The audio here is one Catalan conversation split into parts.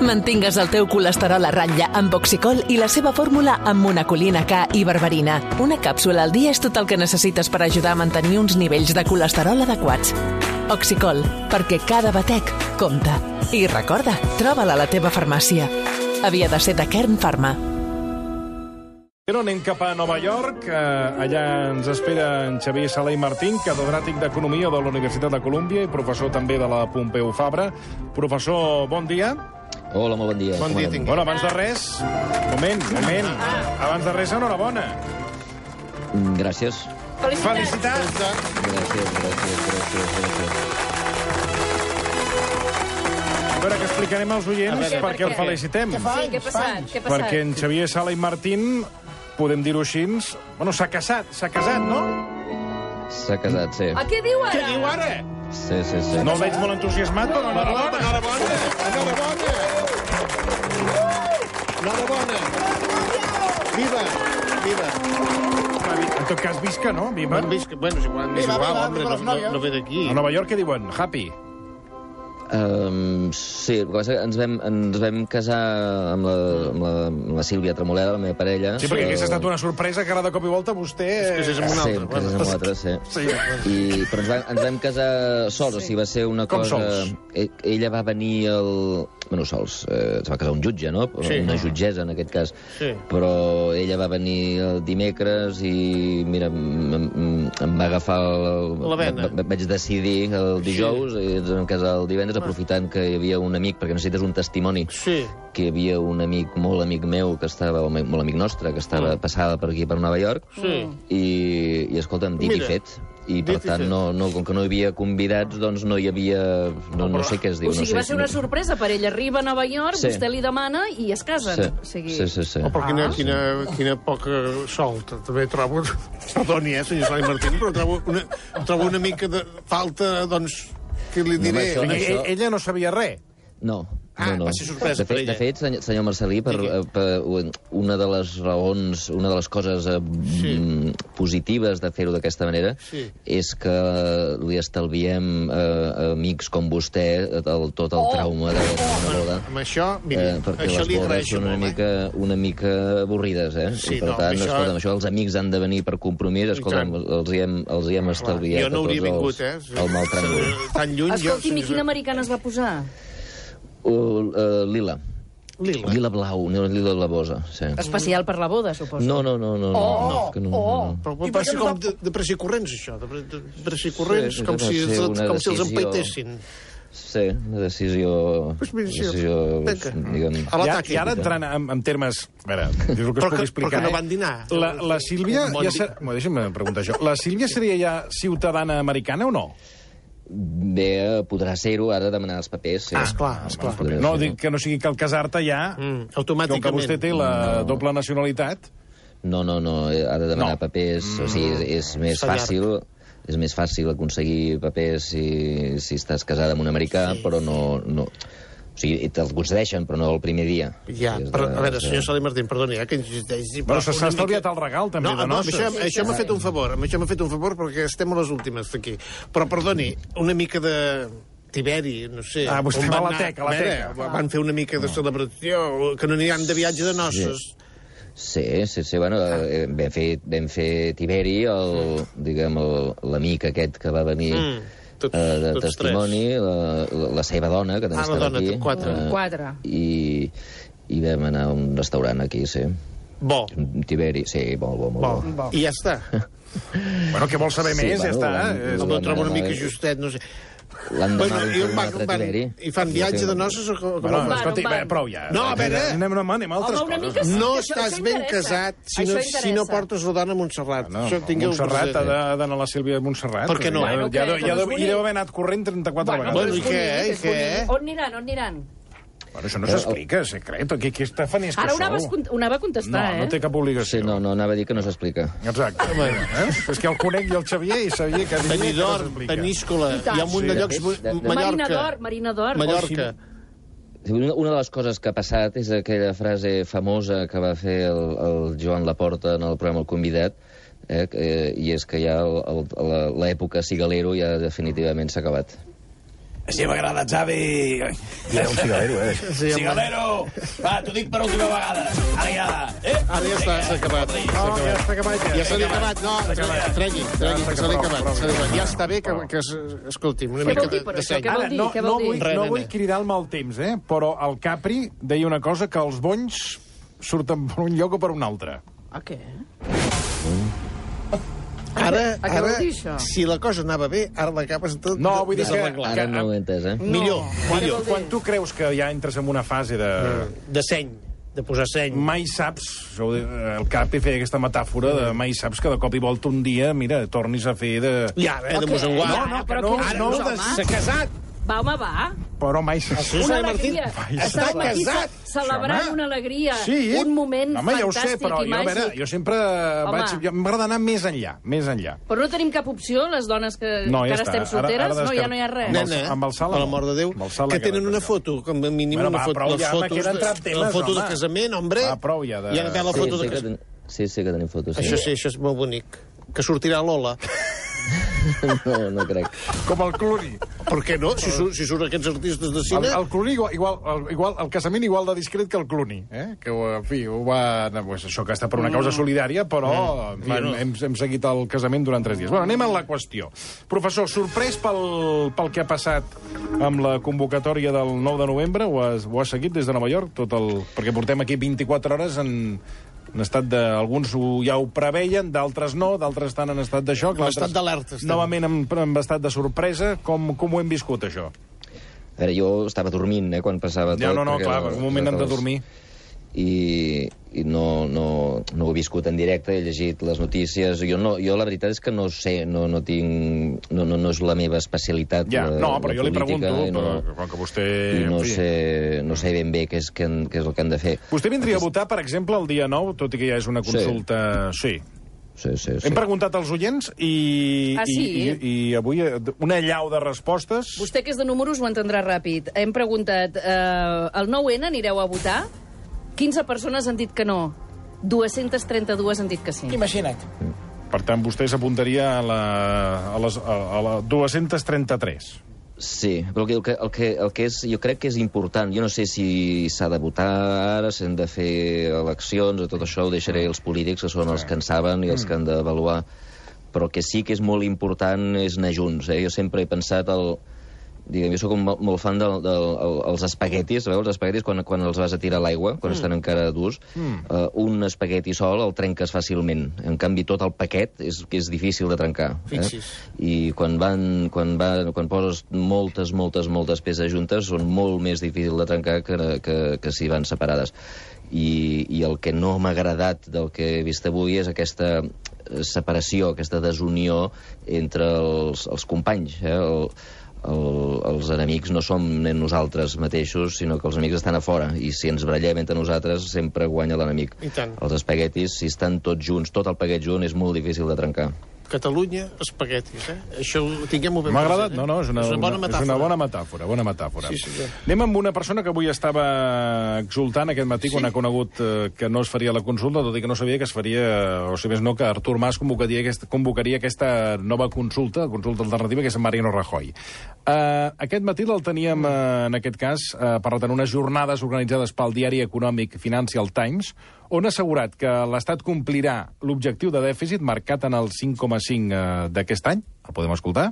Mantingues el teu colesterol a ratlla amb Oxicol i la seva fórmula amb monacolina K i berberina. Una càpsula al dia és tot el que necessites per ajudar a mantenir uns nivells de colesterol adequats. Oxicol, perquè cada batec compta. I recorda, troba-la a la teva farmàcia. Havia de ser de Kern Pharma. Però anem cap a Nova York. Allà ens espera en Xavier Sala i Martín, catedràtic d'Economia de la Universitat de Colúmbia i professor també de la Pompeu Fabra. Professor, bon dia. Hola, molt bon dia. Bon dia, tingui. Bueno, abans de res... Moment. Abans de res, enhorabona. Gràcies. Felicitats. Gràcies. A veure, que explicarem als oients per què el felicitem. Sí, què ha passat? Perquè en Xavier Sala i Martín, podem dir-ho així, bueno, s'ha casat, no? S'ha casat, sí. A què diu ara? Què diu ara? Sí. No el veig molt entusiasmat, però enhorabona. Enhorabona. Viva. En tot cas, visca, no? Viva. Bueno, és igual, home, no ve d'aquí. A Nova York què diuen? Happy. Sí, el que passa que ens vam casar amb la Sílvia Tremoleda, la meva parella. Sí, perquè aquesta ha estat una sorpresa que ara de cop i volta vostè... És amb un altre. Sí, casés amb l'altre, sí. Però ens vam casar sols, o sigui, va ser una cosa... Com sols? Ella va venir Bueno, sols. Es va casar un jutge, no? Sí. Una jutgessa, en aquest cas. Sí. Però ella va venir el dimecres i, mira, em va agafar... La vena. Vaig decidir el dijous i ens vam casar el divendres, aprofitant que hi havia un amic, perquè necessites un testimoni, que hi havia un amic, molt amic meu, que estava, molt amic nostre, que estava passada per aquí, per Nova York, i escolta'm, dit i fet. I, per tant, com que no hi havia convidats, doncs no hi havia... No sé què es diu. O sigui, va ser una sorpresa per ell. Arriba a Nova York, vostè li demana i es casen. Sí. Oh, però quina poca sort. També trobo... Perdoni, senyor Sala i Martín, però trobo una mica de falta, doncs, què li diré? Ella no sabia res. No. Va ser sorpresa per ella. De fet, senyor Marcelí, per una de les raons, una de les coses positives de fer-ho d'aquesta manera és que li estalviem a amics com vostè tot el trauma de una boda. Amb això, mira, perquè això li les bodes agraeixo són una mica avorrides, Sí, i per tant, escolta'm, això els amics han de venir per compromís, escolta'm, els hi hem estalviat jo no hauria vingut, el mal tràngol. Tan lluny... Escolti'm, i quina americana es va posar? Lila. Lila blau, lila blavosa, sí. Especial per la boda, suposo. No. Però va ser com de pressa i corrents, això. De pressa i corrents, com si els empaitessin. Sí, una decisió... I ara entrant en termes... A veure, és el que es pugui explicar. Però que no van dinar. La Sílvia... Deixa'm preguntar això. La Sílvia seria ja ciutadana americana o no? Bé, podrà ser-ho, ara demanar els papers. Sí. Esclar. No, dic que no sigui que al casar-te ja... Automàticament. Com que vostè té la doble nacionalitat... No, ha de demanar papers, o sigui, és més fàcil... És més fàcil aconseguir papers si estàs casada amb un americà, però no... O sigui, te'ls concedeixen, però no el primer dia. Ja, però, a veure, senyor Sala i Martín, perdoni, que insisteix... Però s'ha estalviat el regal, també, de noces. Això m'ha fet un favor, perquè estem a les últimes d'aquí. Però, perdoni, una mica de... Tiberi, no sé... Vostè va a la teca, Van fer una mica de celebració, que no aniran de viatge de noces. Sí, bueno, vam fer Tiberi, l'amic aquest que va venir... de testimoni, la seva dona, que també estava aquí. Quatre. I vam anar a un restaurant aquí, sí. Bo. Tiberi, sí, molt bo. I ja està. Bueno, què vol saber més? Ja està. No trobo una mica justet, no sé. L'endemà vam un altre Tiberi. I fan viatge de noces o com? Bueno, escolti, prou ja. No, a veure... Anem a altres coses. No estàs ben casat si no portes la dona a Montserrat. Montserrat ha d'anar a la Sílvia de Montserrat. Per què no? Hi deu haver anat corrent 34 vegades. Bueno, i què? On aniran? Bueno, això no s'explica, secret. Què està fent és que sou? Ara ho anava a contestar, No té cap obligació. Sí, no, anava a dir que no s'explica. Exacte. És que el conec i el Xavier i sabia que... Benidorm, Peníscola, hi ha un munt de llocs... Marina d'Or. Mallorca. Una de les coses que ha passat és aquella frase famosa que va fer el Joan Laporta en el programa El Convidat, i és que ja l'època cigalero ja definitivament s'ha acabat. Si m'agrada, Xavi... Ja un cigalero, Cigalero! Va, t'ho dic per última vegada. Ara ja... Ara ja està, s'ha acabat. Ja està acabat. Ja se l'ha acabat. No, tregui, que se l'ha acabat. Ja està bé que escolti'm, una mica de seny. Què vol dir? No vull cridar el mal temps, però el Capri deia una cosa, que els bonys surten per un lloc o per un altre. A què? Ara, A què vol dir això? si la cosa anava bé, ara l'acabes tot No, vull dir que... Ara no ho he entès, Millor. Quan tu creus que ja entres en una fase de... De seny, de posar seny. Mai saps, el Capri feia aquesta metàfora de mai saps que de cop i volta un dia, mira, tornis a fer de... Ja, de mosenguar. S'ha casat. Va, home, va. Però mai saps. Una alegria. Està casat. Celebrant una alegria. Sí. Un moment Home, ja ho sé, fantàstic però i màgic. jo sempre m'agrada anar més enllà. Però no tenim cap opció, les dones que No, ja ara està. estem solteres? Ara No, ja no hi ha res. Nena, amb el Sala per no. l'amor de Déu, Amb el Sala que tenen queda una tot foto, com a mínim Bueno, una va, foto, prou, les ja, fotos, queden temes, la foto home. de casament, hombre. Va, prou ja de... Hi ha d'haver la foto de casament. Sí, que tenim fotos. Això sí, això és molt bonic. Que sortirà Lola. No crec. Com el Clooney. Per què no? Si surt aquests artistes de cine... El Clooney, igual, el casament igual de discret que el Clooney, que, en fi, ho va... Pues això que està per una causa solidària, però en fi, hem seguit el casament durant 3 dies. Bueno, anem a la qüestió. Professor, sorprès pel que ha passat amb la convocatòria del 9 de novembre? Ho has seguit des de Nova York? Perquè portem aquí 24 hores en estat de... Alguns ja ho preveien, d'altres no, d'altres estan en estat de xoc. En estat d'alerta. Novament en estat de sorpresa. Com ho hem viscut, això? A veure, jo estava dormint, quan passava tot. Ja, no, clar, un moment hem de dormir. I no ho he viscut en directe, he llegit les notícies. Jo la veritat és que no sé, no és la meva especialitat. Ja, però jo li pregunto, com que vostè... No sé ben bé què és el que han de fer. Vostè vindria a votar, per exemple, el dia 9, tot i que ja és una consulta... Sí. Hem preguntat als oients i avui una allau de respostes. Vostè, que és de números, ho entendrà ràpid. Hem preguntat, el 9N anireu a votar? 15 persones han dit que no. 232 han dit que sí. Imagina't. Per tant, vostè s'apuntaria a la 233. Sí, però el que és, jo crec que és important. Jo no sé si s'ha de votar ara, si han de fer eleccions, o tot això ho deixaré als polítics, que són els que en saben i els que han d'avaluar. Però que sí que és molt important és anar junts. Jo sempre he pensat jo soc molt fan dels espaguetis, sabeu? Els espaguetis quan els vas a tirar a l'aigua, quan estan encara durs, un espagueti sol el trenques fàcilment. En canvi, tot el paquet és difícil de trencar. I quan poses moltes peces juntes són molt més difícil de trencar que si van separades. I el que no m'ha agradat del que he vist avui és aquesta separació, aquesta desunió entre els companys. Els enemics no som nosaltres mateixos, sinó que els amics estan a fora, i si ens barallem entre nosaltres sempre guanya l'enemic. Els espaguetis, si estan tots junts, tot el paquet junt, és molt difícil de trencar. Catalunya, espaguetis, Això ho tinguem-ho ben M'ha agradat, present, no, és una bona metàfora. Sí. Anem amb una persona que avui estava exultant aquest matí quan ha conegut que no es faria la consulta, tot i que no sabia que es faria, o si més no, que Artur Mas convocaria aquesta nova consulta alternativa, que és Mariano Rajoy. Aquest matí el teníem, en aquest cas, parlant en unes jornades organitzades pel diari econòmic Financial Times, on ha assegurat que l'Estat complirà l'objectiu de dèficit marcat en el 5,5 d'aquest any. El podem escoltar?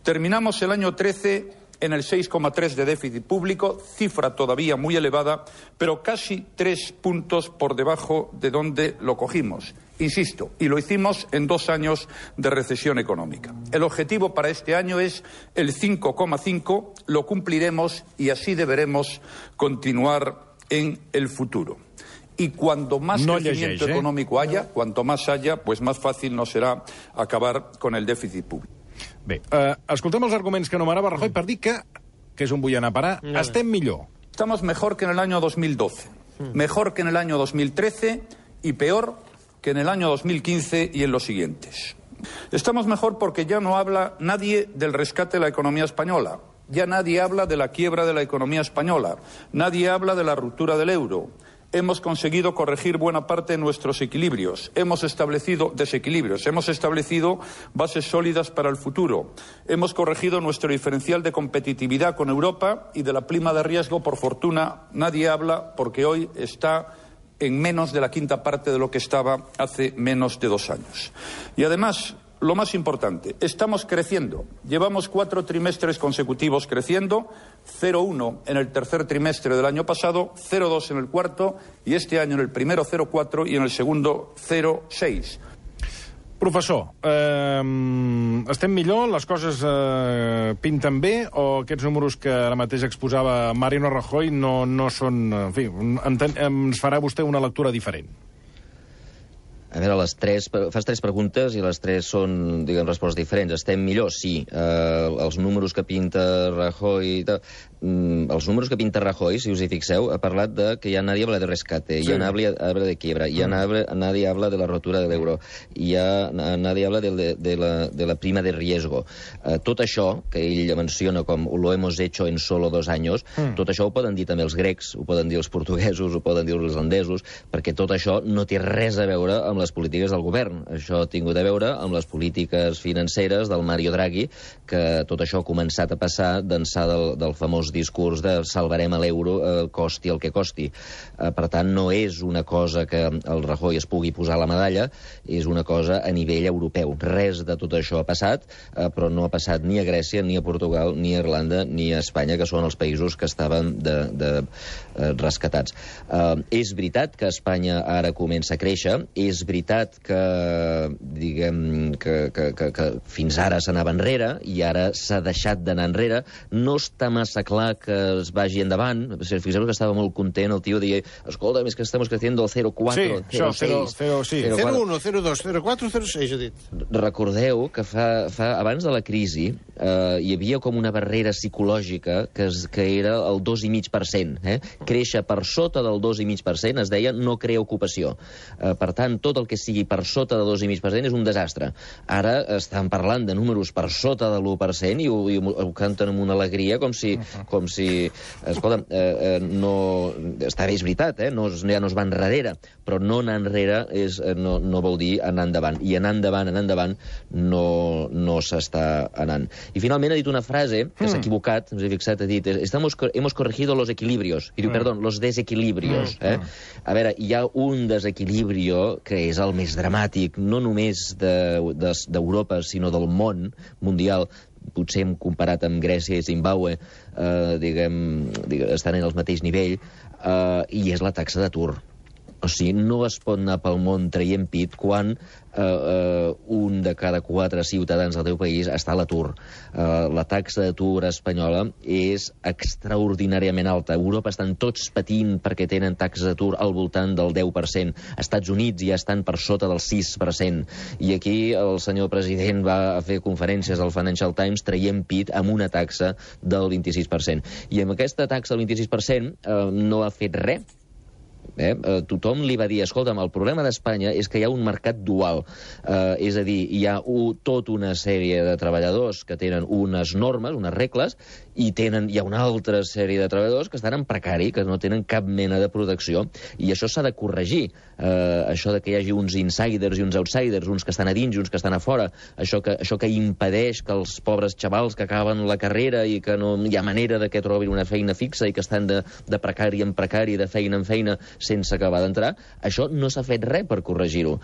Terminamos el año 13 en el 6,3 de déficit público, cifra todavía muy elevada, pero casi 3 puntos por debajo de donde lo cogimos. Insisto, y lo hicimos en 2 años de recesión económica. El objetivo para este año es el 5,5, lo cumpliremos y así deberemos continuar en el futuro. Y cuanto más crecimiento económico haya, cuanto más haya, pues más fácil nos será acabar con el déficit público. Bé, escoltem els arguments que enumerava Rajoy per dir que és on vull anar a parar. Estem millor. Estamos mejor que en el año 2012, mejor que en el año 2013 y peor que en el año 2015 y en los siguientes. Estamos mejor porque ya no habla nadie del rescate de la economía española. Ya nadie habla de la quiebra de la economía española. Nadie habla de la ruptura del euro. Hemos conseguido corregir buena parte de nuestros equilibrios. Hemos establecido desequilibrios. Hemos establecido bases sólidas para el futuro. Hemos corregido nuestro diferencial de competitividad con Europa y de la prima de riesgo, por fortuna, nadie habla porque hoy está en menos de la quinta parte de lo que estaba hace menos de 2 años. Y además, lo más importante, estamos creciendo. Llevamos 4 trimestres consecutivos creciendo, 0,1 en el tercer trimestre del año pasado, 0,2 en el cuarto, y este año en el primero 0,4 y en el segundo 0,6. Professor, estem millor? Les coses pinten bé? O aquests números que ara mateix exposava Mariano Rajoy no són... En fi, ens farà vostè una lectura diferent? A veure, fas 3 preguntes i les 3 són, diguem, respostes diferents. Estem millor? Sí. Els números que pinta Rajoy... Els números que pinta Rajoy, si us hi fixeu, ha parlat de que ya nadie habla de rescate, ya nadie habla de quiebra, ya nadie habla de la rotura del euro, ya nadie habla de la prima de riesgo. Tot això, que ell menciona com lo hemos hecho en solo 2 años, tot això ho poden dir també els grecs, ho poden dir els portuguesos, ho poden dir els islandesos, perquè tot això no té res a veure amb les polítiques del govern. Això ha tingut a veure amb les polítiques financeres del Mario Draghi, que tot això ha començat a passar d'ençà del famós discurs de salvarem l'euro, costi el que costi. Per tant, no és una cosa que el Rajoy es pugui posar la medalla, és una cosa a nivell europeu. Res de tot això ha passat, però no ha passat ni a Grècia, ni a Portugal, ni a Irlanda, ni a Espanya, que són els països que estaven rescatats. És veritat que Espanya ara comença a créixer, és veritat que, diguem, que fins ara s'anava enrere i ara s'ha deixat d'anar enrere. No està massa clar que es vagi endavant. Fixeu que estava molt content, el tio deia, escolta, és que estamos creciendo el 0,4, 0,6... 0,1, 0,2, 0,4, 0,6, ha dit. Recordeu que abans de la crisi hi havia com una barrera psicològica que era el 2,5%. Créixer per sota del 2,5% es deia no crea ocupació. Per tant, tot el que sigui per sota del 2,5% és un desastre. Ara estan parlant de números per sota de l'1% i ho canten amb una alegria com si escolta, està bé, és veritat, ja no es va enrere, però no anar enrere no vol dir anar endavant. I anar endavant no s'està anant. I finalment ha dit una frase que s'ha equivocat, us he fixat, ha dit, hemos corregido los equilibrios. I diu, perdón, los desequilibrios. A veure, hi ha un desequilibrio que és el més dramàtic, no només d'Europa, sinó del món mundial. Potser hem comparat amb Grècia i Zimbàbue, estan en el mateix nivell, i és la taxa d'atur. O sigui, no es pot anar pel món traient pit quan un de cada 4 ciutadans del teu país està a l'atur. La taxa d'atur espanyola és extraordinàriament alta. A Europa estan tots patint perquè tenen taxes d'atur al voltant del 10%. Als Estats Units ja estan per sota del 6%. I aquí el senyor president va a fer conferències al Financial Times traient pit amb una taxa del 26%. I amb aquesta taxa del 26% no ha fet res. Tothom li va dir, escolta'm, el problema d'Espanya és que hi ha un mercat dual, és a dir, hi ha tota una sèrie de treballadors que tenen unes normes, unes regles, i hi ha una altra sèrie de treballadors que estan en precari, que no tenen cap mena de protecció, i això s'ha de corregir. Això de que hi hagi uns insiders i uns outsiders, uns que estan a dins i uns que estan a fora, això que impedeix que els pobres xavals que acaben la carrera i que no hi ha manera de que trobin una feina fixa i que estan de precari en precari, de feina en feina, sense acabar d'entrar, això no s'ha fet res per corregir-ho.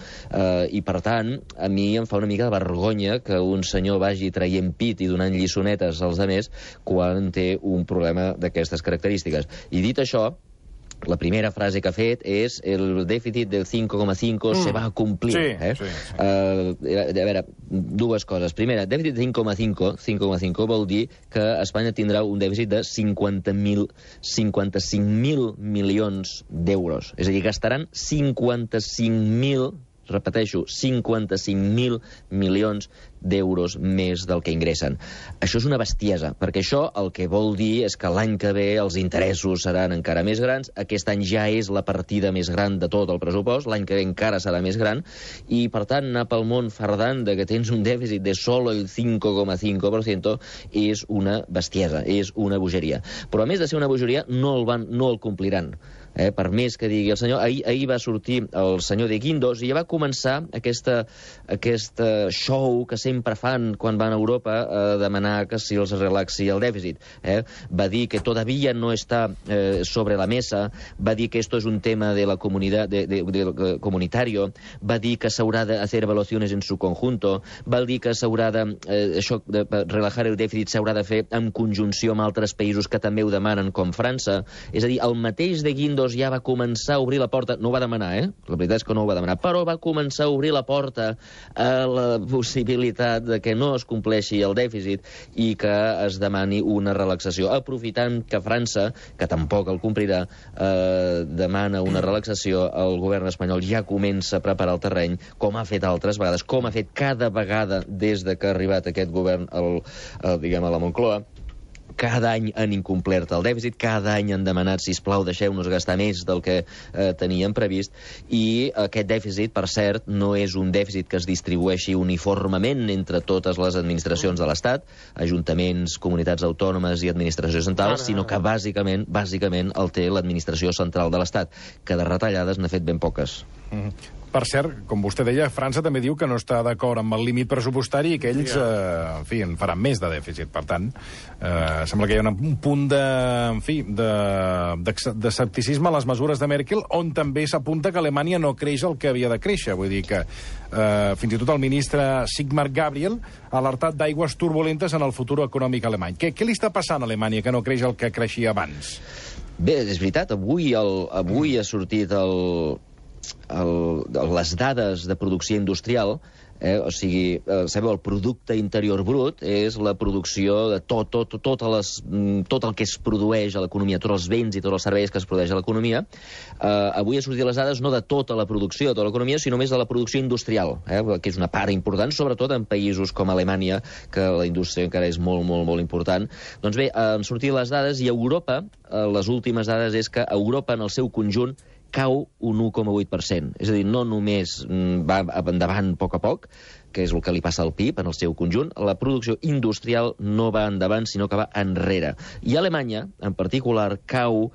I, per tant, a mi em fa una mica de vergonya que un senyor vagi traient pit i donant lliçonetes als altres quan té un problema d'aquestes característiques. I dit això, la primera frase que ha fet és el dèficit del 5,5 se va a complir. Sí. A veure, dues coses. Primera, dèficit de 5,5 vol dir que Espanya tindrà un dèficit de 55.000 milions d'euros. És a dir, gastaran 55.000, repeteixo, 55.000 milions d'euros més del que ingressen. Això és una bestiesa, perquè això el que vol dir és que l'any que ve els interessos seran encara més grans, aquest any ja és la partida més gran de tot el pressupost, l'any que ve encara serà més gran, i per tant anar pel món fardant de que tens un dèficit de solo el 5,5% és una bestiesa, és una bogeria. Però a més de ser una bogeria, no el compliran. Per més que digui el senyor, ahir va sortir el senyor de Guindos i ja va començar aquest show que sempre fan quan van a Europa a demanar que si els relaxi el dèficit. Va dir que todavía no está sobre la mesa, va dir que esto es un tema de la comunidad comunitario, va dir que s'haurà de hacer evaluaciones en su conjunto, va dir que s'haurà de relajar el dèficit s'haurà de fer en conjunció amb altres països que també ho demanen, com França. És a dir, el mateix de Guindos ja va començar a obrir la porta, no ho va demanar, la veritat és que no ho va demanar, però va començar a obrir la porta a la possibilitat de que no es compleixi el dèficit i que es demani una relaxació, aprofitant que França, que tampoc el complirà, demana una relaxació, el govern espanyol ja comença a preparar el terreny, com ha fet altres vegades, com ha fet cada vegada des de que ha arribat aquest govern diguem, a la Moncloa. Cada any han incomplert el dèficit, cada any han demanat, sisplau, deixeu-nos gastar més del que teníem previst, i aquest dèficit, per cert, no és un dèficit que es distribueixi uniformement entre totes les administracions de l'Estat, ajuntaments, comunitats autònomes i administració central, sinó que bàsicament el té l'administració central de l'Estat, que de retallades n'ha fet ben poques. Per cert, com vostè deia, França també diu que no està d'acord amb el límit pressupostari i que ells, en fi, en faran més de dèficit. Per tant, sembla que hi ha un punt d'escepticisme a les mesures de Merkel, on també s'apunta que Alemanya no creix el que havia de créixer. Vull dir que fins i tot el ministre Sigmar Gabriel ha alertat d'aigües turbulentes en el futur econòmic alemany. Què li està passant a Alemanya que no creix el que creixia abans? Bé, és veritat, avui ha sortit les dades de producció industrial, o sigui, sabeu, el producte interior brut és la producció de tot el que es produeix a l'economia, tots els béns i tots els serveis que es produeix a l'economia. Avui ha sortit les dades no de tota la producció de tota l'economia, sinó més de la producció industrial, que és una part important, sobretot en països com Alemanya, que la indústria encara és molt, molt, molt important. Doncs bé, han sortit les dades i a Europa, les últimes dades és que a Europa, en el seu conjunt, cau un 1,8%. És a dir, no només va endavant a poc, que és el que li passa al PIB en el seu conjunt, la producció industrial no va endavant, sinó que va enrere. I Alemanya, en particular, cau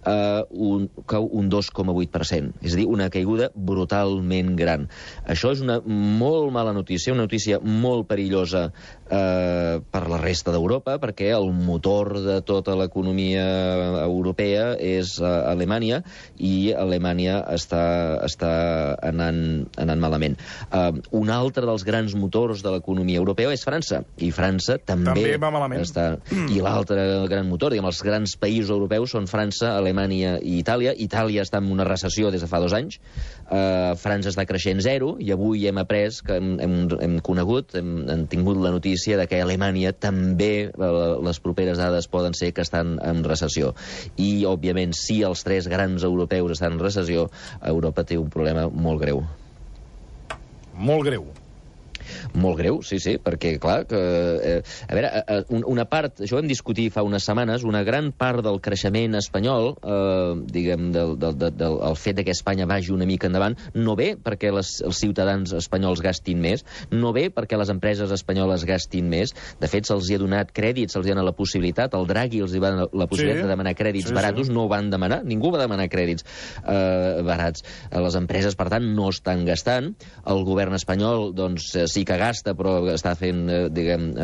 un 2,8%. És a dir, una caiguda brutalment gran. Això és una molt mala notícia, una notícia molt perillosa per la resta d'Europa, perquè el motor de tota l'economia europea és Alemanya, i Alemanya està anant malament. Un altre dels grans motors de l'economia europea és França, i França també va malament. I l'altre gran motor, diguem, els grans països europeus són França, Alemanya i Itàlia. Itàlia està en una recessió des de fa 2 anys. França està creixent 0, i avui hem après, hem conegut, hem tingut la notícia de que a Alemanya també les properes dades poden ser que estan en recessió. I, òbviament, si els 3 grans europeus estan en recessió, Europa té un problema molt greu. Molt greu. Molt greu, sí, perquè, clar, a veure, una part, això ho hem discutit fa unes setmanes, una gran part del creixement espanyol, diguem, el fet que Espanya vagi una mica endavant, no ve perquè els ciutadans espanyols gastin més, no ve perquè les empreses espanyoles gastin més. De fet, se'ls ha donat crèdits, se'ls ha donat la possibilitat, el Draghi els va donar la possibilitat de demanar crèdits baratos, no ho van demanar, ningú va demanar crèdits barats. Les empreses, per tant, no estan gastant. El govern espanyol, doncs, sí que gasta, però està fent, diguem,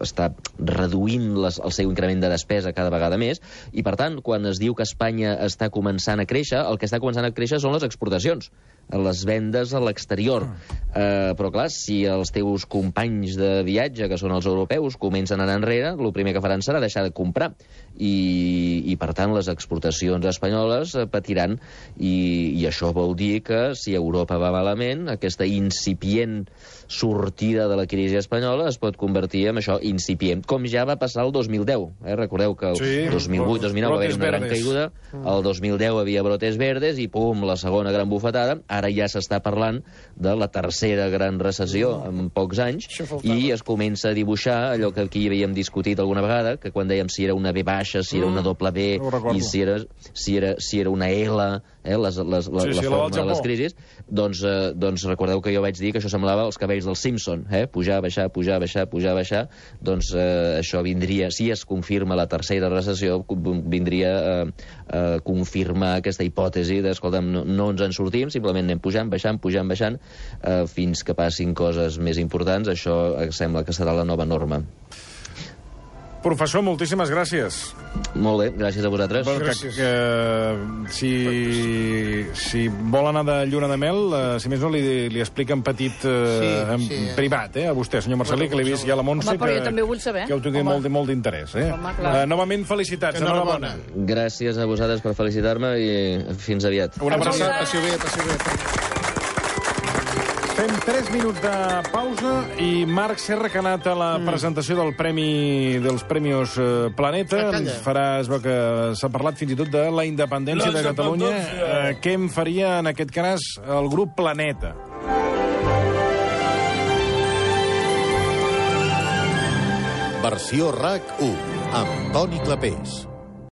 està reduint el seu increment de despesa cada vegada més, i per tant, quan es diu que Espanya està començant a créixer, el que està començant a créixer són les exportacions, les vendes a l'exterior. Però clar, si els teus companys de viatge, que són els europeus, comencen a anar enrere, el primer que faran serà deixar de comprar, i per tant les exportacions espanyoles patiran, i això vol dir que si Europa va malament, aquesta incipient sortida de la crisi espanyola es pot convertir en això, incipient, com ja va passar el 2010. Recordeu que el 2008-2009 va haver una gran caiguda, el 2010 havia brotes verdes i pum, la segona gran bufetada. Ara ja s'està parlant de la tercera gran recessió en pocs anys, i es comença a dibuixar allò que aquí havíem discutit alguna vegada, que quan dèiem si era una B baixa, si era una doble B, i si era una L, la forma de les crisis, doncs recordeu que jo vaig dir que això semblava els cabells del Simpson, pujar, baixar, pujar, baixar, pujar, baixar. Doncs això vindria, si es confirma la tercera recessió, vindria confirmar aquesta hipòtesi de, escolta'm, no ens en sortim, simplement anem pujant, baixant, fins que passin coses més importants. Això sembla que serà la nova norma. Professor, moltíssimes gràcies. Molt bé, gràcies a vosaltres. Si vol anar de lluna de mel, si més no, li explica en petit, en privat, a vostè, senyor Marcelí, que l'he vist ja a la Montse, però jo també ho vull saber. Que ho tingui molt d'interès. Novament, felicitats. Enhorabona. Gràcies a vosaltres per felicitar-me i fins aviat. Una abraçada. Passi bé. Fem 3 minuts de pausa i Marc Serra, que ha anat a la presentació dels Premis Planeta, ens farà, es veu que s'ha parlat fins i tot de la independència de Catalunya. Què en faria, en aquest cas, el grup Planeta? Versió RAC 1, amb Toni Clapés.